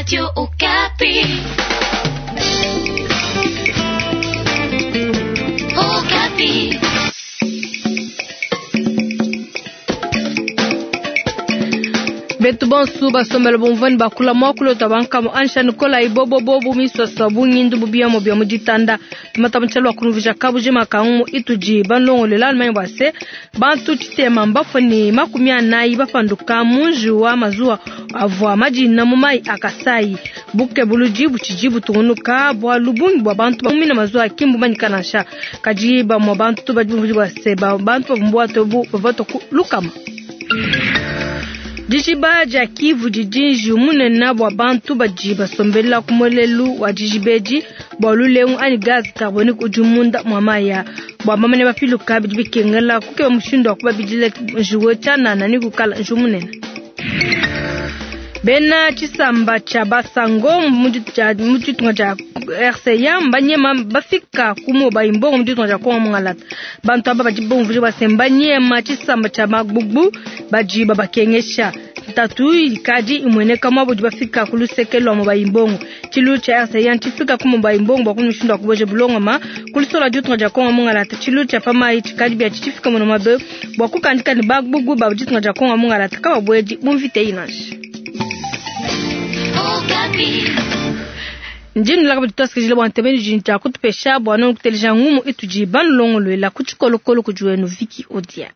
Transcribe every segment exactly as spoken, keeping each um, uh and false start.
Radio Okapi. Okapi. Betu bonsu basombela bumvani bakula mwakulu tabankamo ansha nikola ibobo bobu miswaswa bunyindu bubiyamo bya muditanda tumata kunuvija kabuje makangu ituji banlongolela almanyi bwase bantu tshitema mbafoni makumi anayi bapanduka munji wa mazuwa avua majina mu mai akasai buke buluji buchiji butungunuka bwa lubungi bwa bantu bamina mazuwa akimbu manyikana kaji bamwa bantu badi bwase bantu babumbwato bu bavato lukama Dijiba dia Kivu didi munene bua bantu badi basombela ku muelelu wa dijiba edi bua lulengu anyi gaz carbonique udi munda mua maya bua bamane bapiluka bidi bikengela kukeba mushindu wa kubabidila njiwe tshianana ni kukala njiwu munene. Bena tshisamba tshia basango mu ditunga dia R C A mbanyema bafika ku moba imbongo mu ditunga dia Kongo mungalata bantu aba badi bumvuje base mbanyema tshisamba tshia magbugbu badi babakengesha ntatu ikadi imweneka mwabo di bafika ku luseke lwa moba imbongo tshilu tshia R C A tshifika ku moba imbongo bua kumushindu wa kuboje bulongoma ku lusola ditunga dia Kongo mungalata tshilu tshia pamayi tshikadi bia tshifika muno mabe bua kukandika ne bagbugbu ba ditunga dia Kongo mungalata kababwedi bumvite inashi ndinu laka bituasikijile bua ntebeni jinja kutupesha bua nonu kuteleja ngumu itudi banulongoluela ku tshikolokolo kudi wenu Viki Odia.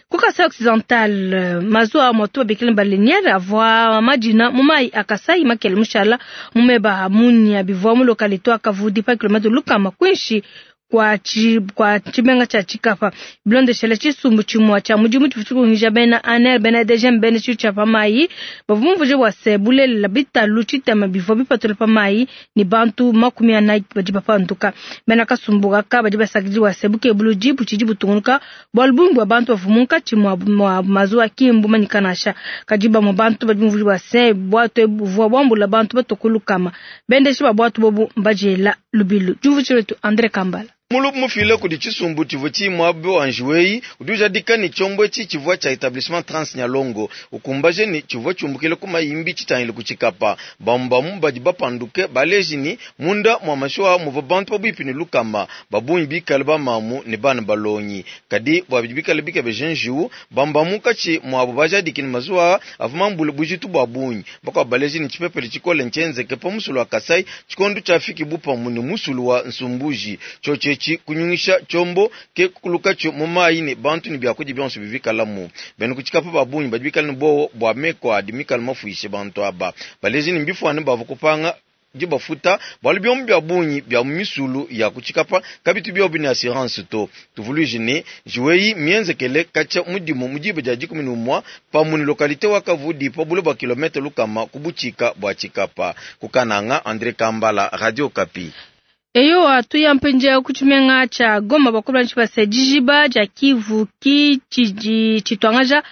Ku Kasai Occidental mazuwa moto babikile baleniere avua madina mu mai a Kasai makele mushala mumeba munya bivua mu localité wa Kavudi pa kilomètre lukama kwinshi kwa chi kwa tshimenga tshia Tshikapa bilondeshele tshisumbu tshimua tshia mudimu tshifutshikungisha bena A N R bena D G M bena tshilu tshia pamayi bavua mumvuje bua se bulelela bitalu tshitema bivua bipatula pamayi ni bantu makumi anayi badi bapanduka bena kasumbu kaka badi basakidi bua se bukebuludi butshidi butungunuka bualu bungi bua bantu bavua munkatshi mua mua mazuwa kimbu manyikanasha kadi bamue bantu badi mumvuje bua se bwato buvua buambula bantu batokulukama bendeshi ba bwato bobu mbajela lubilu diumvutshilu wetu Andre Kambala. Mulubu mufile kudi tshisumbu tshivua tshimuabe wa njiweyi udi ujadika ni tshombo etshi tshivua tshia Etablissement Trans Nyalongo ukumbaje ni tshivua tshiumbukile ku mayimbi tshitangile ku Tshikapa. Bambamu badi bapanduke baleji ni munda mua mashuwa muvua bantu pabuipi ne lukama babungi bikale bamamu ne bana balongi kadi bua bidi bikale bikebeje njiwu bambamu katshi muabu bajadiki ni mazuwa avua mambule bujitu bua bungi bakwa baleji ni tshipepele tshikole ntshienzeke pa musulu wa Kasai tshikondo tshiafiki bupamu ne musulu wa Nsumbuji tshiotshi kunyungisha tshombo ke kukuluka mu mayi ne bantu ne biakudi bionso bivikalamu bena kutshikapa babungi badi bikale ne bowo bua meko adi mikale mafuishe bantu aba baleji ne mbifuane bavua kupanga dibafuta bualu biomu bia bungi bia misulu ya kutshikapa kabitu biobi ne assurance to tuvuluije ne njiweyi mienzekele katshia mudimu mu diba dia dikumi ne umua pamue ne localité wa Kavudi pa bule bua kilomètre lukama ku butshika bua Tshikapa. Kukananga, Andre Kambala, Radio Okapi. Eyo atuya mpenje ku tshimenga tshia Goma bakulu base dijiba dia Kivu ki tshidi tshituangaja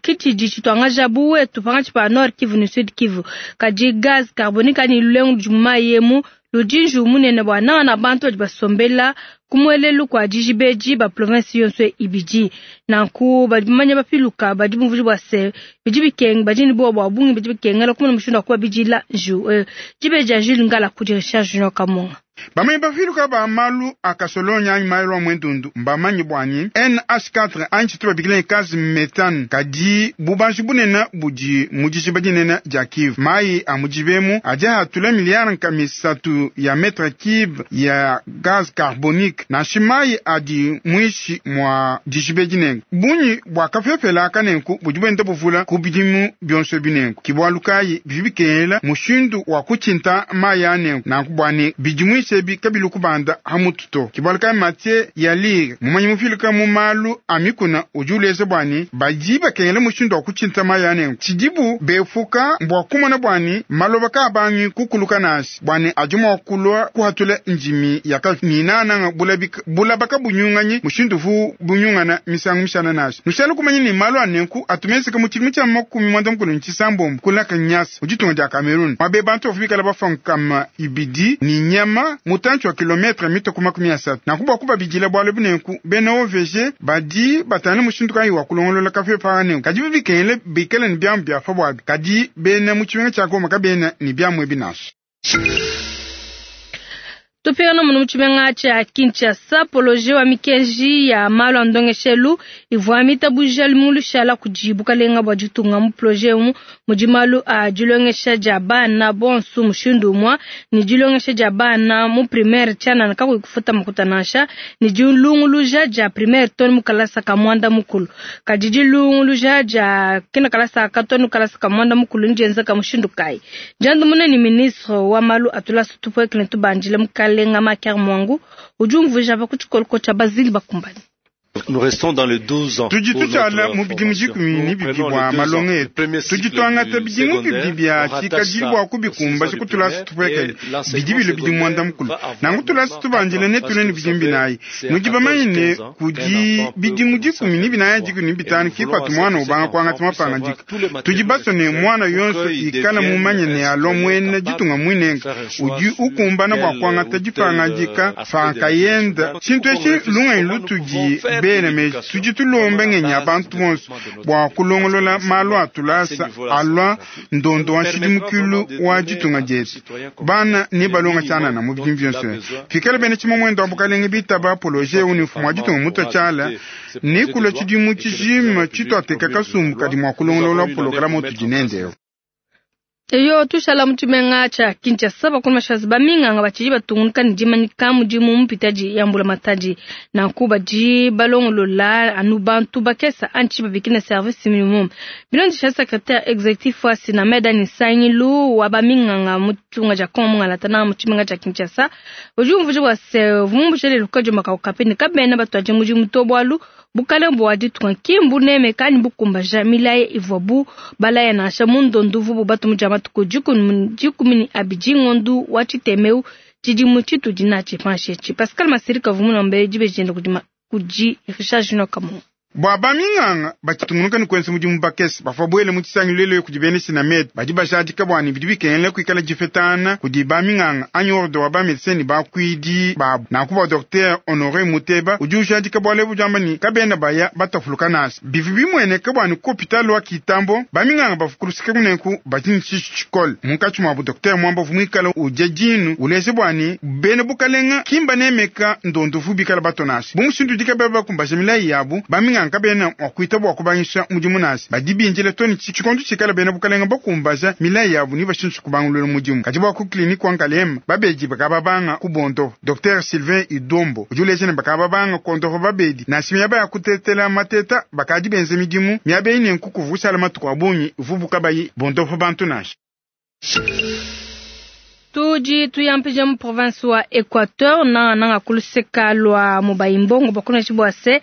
ki tshidi tshituangaja buwetu pangatshi pa Nord Kivu ne Sud Kivu kadi gaz carbonique ani lulengu ludi mu mayi emu ludi njiwu munene bua nanga bantu badi basombela ku muelelu kua dijiba edi ba province yonso ibidi nanku badi bamanya bapiluka badi bumvuji bua se bidi bikenga badi ne bowa bua bungi bidi bikengela kumona mushindu wa kubabidila njiwu eh, dibe dia Jules Ngala kudi Richard Junior Kamunga. Bamanyi bafiluka ba malu a kasolonya anyi malu a mwendundu mbamanyi bwanyi N H quatre anyi tshitu babikila gaz méthane kadi bubanji bunene budi mu dijiba dinene dia Kivu. Mai a mujibemu adi atula miliyari nkama isatu ya mètre cube ya gaz carbonique nansha mai adi muishi mwa dijiba dinene bunyi bua kafefela kanenku budi buenda buvula ku bidimu bionso binenku kibwalu kayi bidi bikengela mushindu wa kutshinta mai anenku nanku bwani bidi muishi ebi kabilu kubanda hamutu to kibwalu kayi Mathieu Yalir mumanyi mufiluka mu malu a mikuna udi uleza bwani badi bakengela mushindu wa kutshinta mai anenku tshidibu befuka bua kumona bwani maloba kabangi kukuluka nasi bwani adi mua kulua kuhatula ndimi yaka ninananga bulabaka bunyunganyi mushindu vu bunyungana misangu mishana nasi nushala kumanya ni malu anenku atumeseka mu tshidimu tshia makumi mwanda mukulu ni tshisambombo kulaka nyasa mu ditunga dia Cameroun mwabe bantu bafu bikala bafankama ibidi ni nyama. pa mutantshi wa kilometre mitue ku makumi asatu. Nanku bua kubabidila bualu ebu nenku bena O V G badi batangila mushindu kayi wa kulongolola kapepa aka nenku. Kadi bikengela bikale ne biamu bia pa buabi, kadi bena mu tshimenga tshia Goma kabena ne biamu ebi nansha. Tupingana muno mu tshimenga tshia Kinshasa, poloje wa mikenji ya malu a ndongeshelu ivua mitabuja lumingu lushala kudi bukalenga bua ditunga. Mu poloje emu mudi malu a dilongesha dia bana bonso mushindu umue ne dilongesha dia bana mu primaire tshianana kakuyi kufuta makuta nansha, ne dilunguluja dia primaire too ne mu kalasa ka muanda mukulu. Kadi dilunguluja dia kina kalasa ka too ne kalasa ka muanda mukulu ndienzeka mushindu kayi? Diandamuna ne ministre wa malu a tulasa tupuekele ne tubandile mukale Lenga Maker Mwangu udi umvuija pa ku tshikoloko tshia Basile Bakumbani. Nous restons dans les douze ans. Tudi tutshala mu bidimu dikumi ne bibidi bua malonga etu. Tudi tuangata bidimu bibidi bia tshikadilu bua kubikumbaja ku tulasa tupuekele bidi bilo bidi muanda mukulu. Nanku tulasa tubandile ne tule ne bidimu binayi. Nudi bamanye ne kudi bidimu dikumi ne binayi dikumi ne bitanu ke patu muana ubanga kuangata mapangadika. Tudi basue ne muana yonso ikala mumanye ne alua muena ditunga muinenga udi ukumbana bua kuangata dipangadika pankayenda. Tshintu etshi lungenyi lutudi bena meji tudi tulomba ngenyi ya bantu bonso bua kulongolola malu a tulasa alua ndondo wa nshidimukilu wa ditunga dietu. Bana ne balonga tshianana mu bidimu bionso. Fikala bena tshimue muendo wa bukalenge bitaba poloje eu ne mfumu wa ditunga mutua tshiala ne kulua tshidimu tshijima tshituateka kasumbu kadi mua kulongolola pologalamu utudi nende eu. Eyo tushala mu tshimenga tshia Kinshasa bakulu mashazi ba minganga batshidi batungunuka ne dimanyika mudimu mupitadi ya mbula matadi. Nanku badi balongolola anu bantu bakesa anchi babikina service minimum. Bilondesha secrétaire exécutif wa Sinamed ni Sangilu wa ba minganga mu tshitunga tshia Kongo mungalata na mu tshimenga tshia Kinshasa. Udi umvuija bua se vumbushele lukajo makaukape kabena batuaje mudimu to bualu bukalenga bua ditunga ki mbuneme kandi bukumbaja milayi ivuabu balaya nansha mu ndondo uvuabu batumuja matuku dikumi ne abidi ngondu wa tshitemeu tshidimu tshitudi natshi panshi etshi. Pascal Masirika vumuna dibeji diende kudi kudi Richard Junior Kamungu. Bua baminganga batshitungunuka ne kuenza mudimu bakese bavua buele mu tshisangilu lelo kudi bena Sinamed badi bajadika bua ne bidi bikengela kuikala difetana kudi baminganga anyi ordre wa bamedecin ne bakuidi babu. Nanku bua Docteur Honore Muteba udi ujadika bualu ebu diamba ne kabena baya batafuluka nansha. Bivi bimueneka bua ne ku hôpital wa Kitambo baminganga bavua kuluseka kunenku badi ne tshishi tshikole. Munkatshi muabu Docteur Mwamba uvua muikale udia dinu uleja bua ne bena bukalenga ki mbanemeka ndondo uvu bikala bato nansha. Bu mushindu udi kabena bakumbaja milayi yabu baminganga kabena mua kuita bua kubangisha mudimu nansha. Badi bindile to ne tshikondo tshikala bena bukalenga bakumbaja milayi yabu ne bashinshi kubangulula mudimu. Kadi bua ku kliniki wa Nkalema babedi bakababanga ku bondo. Docteur Sylvain Idombo udi uleja ne bakababanga kondofa babedi nansha miaba ya kutetela mateta bakadi benze midimu miaba eyi nenku kuvushala matuku a bungi ivubu kabayi bondofa bantu nansha. Tudi tuyampija mu province wa Equateur na nanga kuluseka lwa Mobayimbongo bakuna tshibua se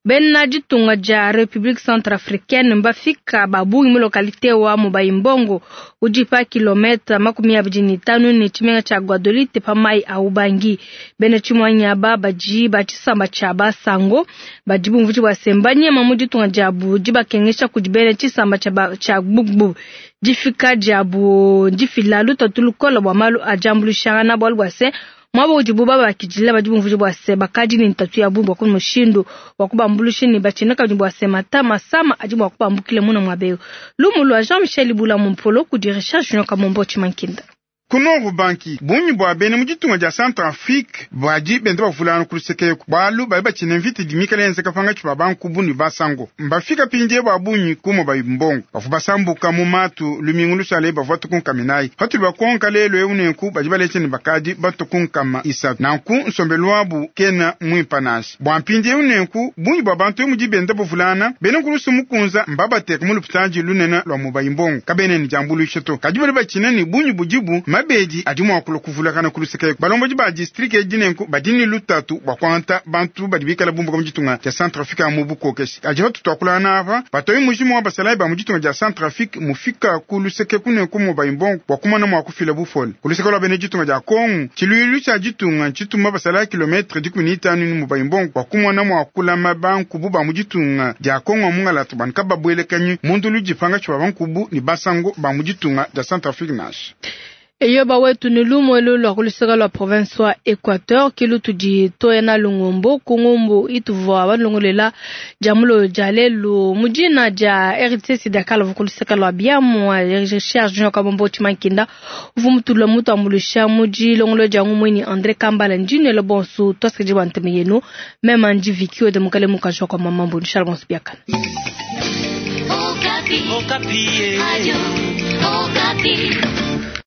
bena ditunga dia République Centrafricaine mbafika babungi mu localité wa Mobayimbongo udi pa kilomètre makumi abidi ne tanu ne tshimenga tshia Gbadolite pa mai a Ubangi. Bena tshimuanyi aba badi ba tshisamba tshia Basango badi bumvuji bua se mbanyema mu ditunga diabu dibakengesha kudi bena tshisamba tshia Gbugbu. Difika diabu difila lutatu lukola bua malu a diambuluishangana bualu bua se mwabo udibu babakidila badi bumvuji bua se bakadi ne ntatu ya bungi bua ku mushindu wa kubambuluisha ne batshina kabidi bua se mata masama adi mua kubambukila muna muaba eu. Lumu lua Jean-Michel Bula Mumpolo kudi Richard Junior Kamombo Tshimankinda. Ku Nord Ubangi bungi bua bena mu ditunga dia Centrafrique badi benda bavulana ku luseke eku bualu badi batshina mvita idi mikale yenzeka pangatshi ba bankubu ne basango. Mbafika pindie bua bungi ku Mobayimbongo bavua basambuka mu matu lumingu lusale bavua tukunkaminayi. Patudi bakonka lelo eu nenku badi baleja ne bakadi batukunkama isatu. Nanku nsombelu wabu kena muimpa nansha. Bua mpindiewu nenku bungi bua bantu emu di benda bavulana bena nkulusu mukunza mbabateka mu lupitadi lunene lua Mobayimbongo kabena ne diambuluisha to. Kadi badi batshina ne bungi budibu mabedi adi mua kulua kuvulakana ku luseke eku. Balombodi ba district edi nenku badi ne lutatu bua kuangata bantu badi bikala bumbuka mu ditunga dia Centrafrique mu bukokeshi. Kadi patu tuakulana apa batoyi mujimu wa basalayi ba mu ditunga dia Centrafrique mufika ku luseke ku nenku Mobayimbongo bua kumona mua kufila bufole. Ku luseke lua bena ditunga dia Kongo tshiluilu tshia ditunga tshituma basalayi kilometre dikumi ne itanu ne Mobayimbongo bua kumona mua kulama bankubu ba mu ditunga dia Kongo mungalata bua kababuelekanyi mu ndulu dipanga tshia bankubu ne basango ba mu ditunga dia Centrafrique nansha. Eyoba wetu ni lumwe lulwa kuluseka lwa province wa Equateur kilu tudi toyena lungombo kungombo ituvwa balongolela jamulo jalelu mujina ja R T C Dakar kuluseka lwa biamu recherche junior kabombo chimankinda uvumutulwa mutu amulusha muji longolo jangu mweni André Kambala njine le bonsu twaskeji wanteme yenu meme anji vikio de mukale mukajwa kwa mamambo Charles Bonsubiakana. Okapi. Okapi. Radio Okapi.